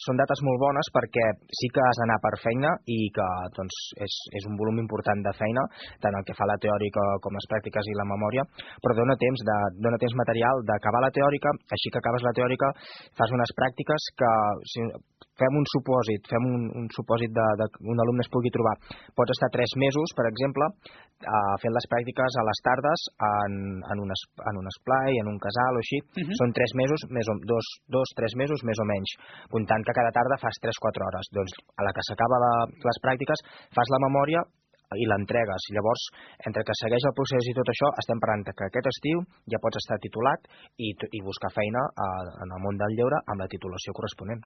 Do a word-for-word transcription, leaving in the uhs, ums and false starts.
són dates molt bones perquè sí que has d'anar per feina i que doncs, és, és un volum important de feina, tant el que fa la teòrica com les pràctiques i la memòria, però dona temps, de, dona temps material d'acabar la teòrica, així que acabes la teòrica, fas unes pràctiques que, si fem un supòsit, fem un, un supòsit de, de que un alumne es pugui trobar, pots estar tres mesos, per exemple, eh, fent les pràctiques a les tardes en, en, un, es, en un esplai, en un casal o així, uh -huh. Són tres mesos, més o, dos, dos, tres mesos més o menys, comptant que cada tarda fas tres quatre hores. Doncs a la que s'acaba les pràctiques fas la memòria i l'entregues. Llavors, entre que segueix el procés i tot això, estem parlant que aquest estiu ja pots estar titulat i, i buscar feina a, en el món del lleure amb la titulació corresponent.